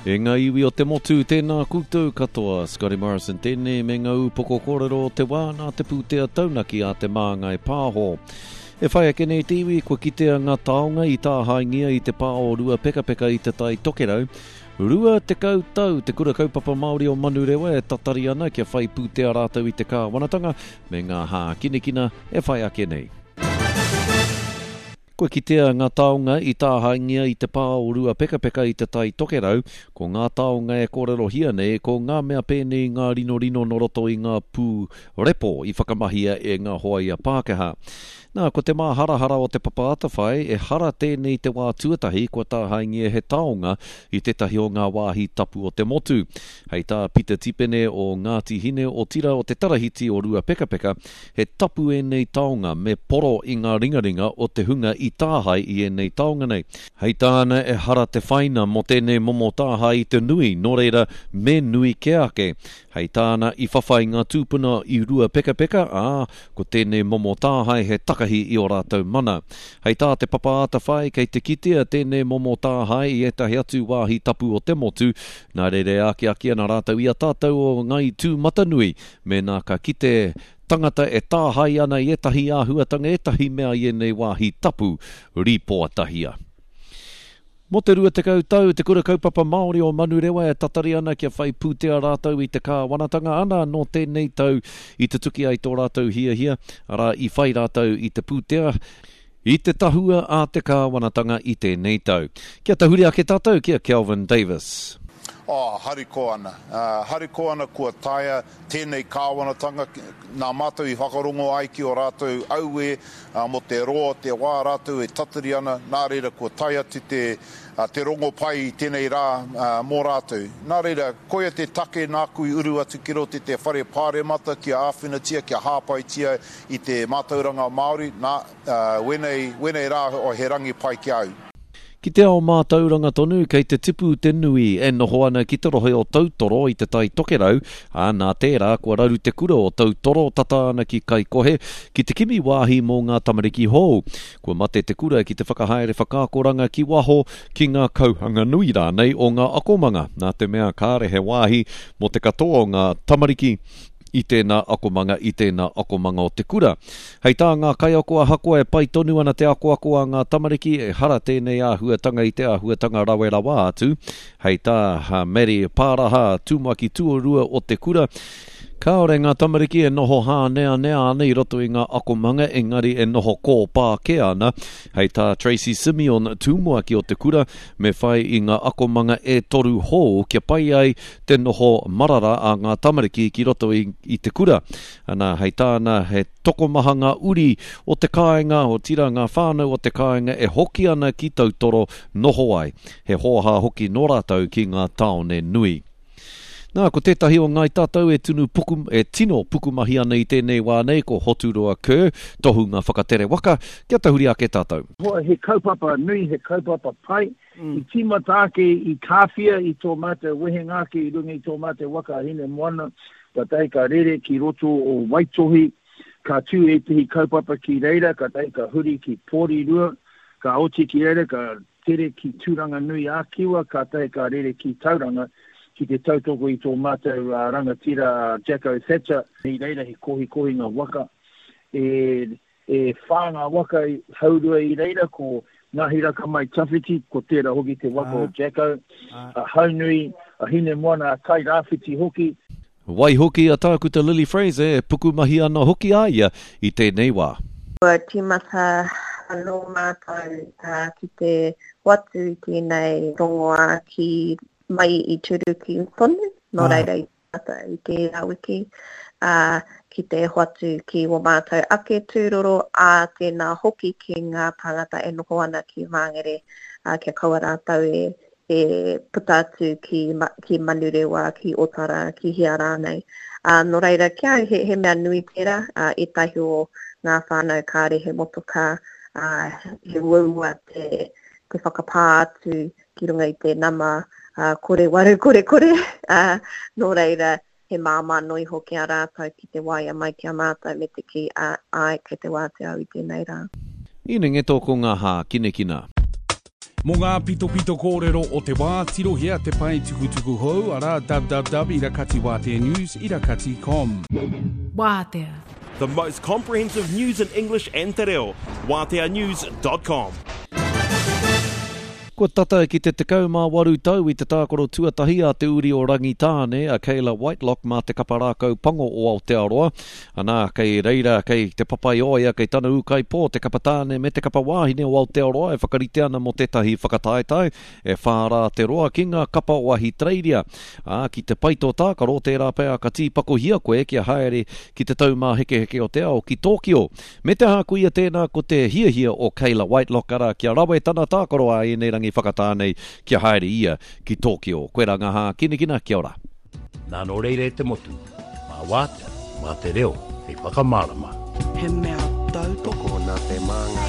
E ngā iwi o te motu, tēnā koutou katoa. Scotty Morrison tēnei me ngā ūpoko kōrero o te wā nā te pūtea taunaki a Te Māngai Pāho. E whai ake nei te iwi, kua kitea ngā taonga i tāhaengia i te pā o Ruapekapeka i Te Tai Tokerau. 20 tau te Kura Kaupapa Māori o Manurewa e tatari ana kia whai pūtea rātou i te kāwanatanga me ngā hākinakina e whai ake nei. Kua kitea ngā taonga i tāhaengia i te pā o Ruapekapeka i Te Tai Tokerau, ko ngā taonga e kōrerohia nei ko ngā mea pēnei i ngā rinorino nō roto i ngā pū repo i whakamahia e ngā hoaia Pākehā. Nā, ko te māharahara o Te Papa Atawhai, ehara tēnei te wā tuatahi kua tāhaengia he taonga i tētahi o ngā wāhi tapu o te motu. Hei tā Pita Tipene o Ngāti Hine otira o te Tarahiti o Ruapekapeka, He tapu ēnei taonga me poro i ngā ringaringa o te hunga i tāhae i ēnei taonga nei. Hei tāna ehara te whaina mō tēnei momo tāhae i te nui, nō reira, me nui kē ake. Hei tāna i whawhai ngā tūpuna i Ruapekapeka, ā, ko tēnei momo tāhae he takahi i ō rātou mana. Hei tā Te Papa Atawhai, kei te kitea tēnei momo tāhae i ētahi atu wāhi tapu o te motu, nā reira e akiaki ana rātou i a tātou o Ngāi Tūmatanui Mēnā ka kite tangata e tāhae ana i ētahi āhuatanga, ētahi mea i ēnei wāhi tapu, rīpoatahia. Mō te 20 tau, Te Kura Kaupapa Māori o Manurewa e tatari ana kia whai pūtea rātou i te kāwanatanga, ana nō tēnei tau i tutuki ai tō rātou hiahia, arā, i whai rātou i te pūtea i te tahua a te kāwanatanga i tēnei tau. Kia tahuri ake tātou ki a Kelvin Davis. Oh, harikoa ana. Harikoa ana kua taea tēnei kāwanatanga, nā mātou i whakarongo ai ki ō rātou auē mō te roa o te wā rātou e tatari ana, nā reira kua tae atu te, te rongopai i tēnei rā mō rātou. Nā reira, koia te take nāku i uru atu ki roto i te whare pāremata kia āwhinatia, kia hāpaitia i te mātauranga Māori, nā, wēnei, wēnei rā he rangi pai ki a au. Ki te ao mātauranga tonu, kei te tipu te nui e noho ana ki te rohe o Tautoro i Te Tai Tokerau, ā, nā tērā kua raru te kura o Tautoro tata ana ki Kaikohe ki te kimi wāhi mō ngā tamariki hou. Kua mate te kura ki te whakahaere whakaakoranga ki waho, ki ngā kauhanga nui rānei o ngā akomanga, nā te mea kāre he wāhi mō te katoa o ngā tamariki i tēnā akomanga, i tēnā akomanga o te kura. Hei tā ngā kaiako ahakoa e pai tonu ana te akoako a ngā tamariki, ehara tēnei āhuatanga i te āhuatanga rawe rawa atu. Hei tā Maddie Pāraha, tumuaki tuarua o te kura, Kāore ngā tamariki e noho hāneanea ana i roto i ngā akomanga engari e noho kōpā kē ana. Hei tā Tracey Simeon, tumuaki o te kura, me whai i ngā akomanga e toru hou kia pai ai te noho marara a ngā tamariki ki roto i, i te kura. Ana, hei tāna, he tokomaha ngā uri o te kāinga, otirā ngā whānau o te kāinga e hoki ana ki Tautoro noho ai. He hōhā hoki nō rātou ki ngā tāone nui. Nā, ko tētahi o Ngāi Tātou e tunu puku, e tino pukumahi ana i tēnei wā nei, ko Hoturoa Kerr, tohunga whakatere waka, kia tahuri ake tātou. He kaupapa nui, he kaupapa pai, I tīmata ake i Kāwhia i tō mātou wehenga ake i runga i tō mātou waka a Hinemoana, kātahi ka rere ki roto o Waitohi, ka tū ētehi kaupapa ki reira, kātahi ka huri ki Porirua, ka oti ki reira, ka tere ki Tūranganui-ā-Kiwa, kātahi ka rere ki Tauranga ki te tautoko i tō mātou rangatira a Jacko Thatcher. I reira he kohikohinga waka e E whā ngā waka haurua i reira, ko Ngahiraka Mai Tawhiti, ko tērā hoki te waka o Jacko, a Haunui, a Hinemoana, a Tairāwhiti hoki. Waihoki a Tākuta Lily Fraser e pukumahi ana hoki a ia i tēnei wā. Kua tīmata anō mātou ki te hoatu i tēnei rongoā ki mai i Turuki tonu, nō reira i ata i tērā wiki, ā, ki te hoatu ki wō mātou ake tūroro, ā, tēnā hoki ki ngā tāngata e noho ana ki Māngere, ā, kia kaua rātou e, e puta atu ki, ki Manurewa, ki Otara, ki hea rānei. Ā, nō reira, ki a au, he, he mea nui tērā, ā, ētahi o ngā whānau kāre he motokā, ā, he uaua te, te whakapā atu ki runga i te nama kore waru kore kore, ā, nō reira, he māmā noa iho ki a rātou ki te waea mai ki a mātou me te kī, ā, āe, kei te wātea au i tēnei rā. Inengeto ko ngā hākinakina. Mō ngā pitopito kōrero o te wā, tirohia te pae tukutuku hou, arā, www irakatiwāteanews irakati com. Wātea. The most comprehensive news in English and te reo. Wāteanews dot com. Kua tata ki te 18 tau i te tākaro tuatahi a te uri o Rangitāne, a Kayla Whitelock mā te kapa rākau pango o Aotearoa. Anā, kei reira, kei Te Papaioea, kei tana ūkaipō, te kapa tāne me te kapa wāhine o Aotearoa e whakarite ana mō tētahi whakataetae e whā rā te roa ki ngā kapa o Ahitereiria. Ā, ki te pai tō tākaro, tērā pea ka tīpakohia koe kia haere ki te Taumāhekeheke o te Ao ki Tōkio. Me te aha koia tēnā ko te hiahia o Kayla Whitelock arā kia rawe tana tākaro ā ēnei rangi whakatā nei kia haere ia ki Tōkio. Koirā ngā hākinakina, kia ora. Nā nō reira e te motu, mā Wātea, mā te reo hei whakamārama. He mea tautoko nā te māngai.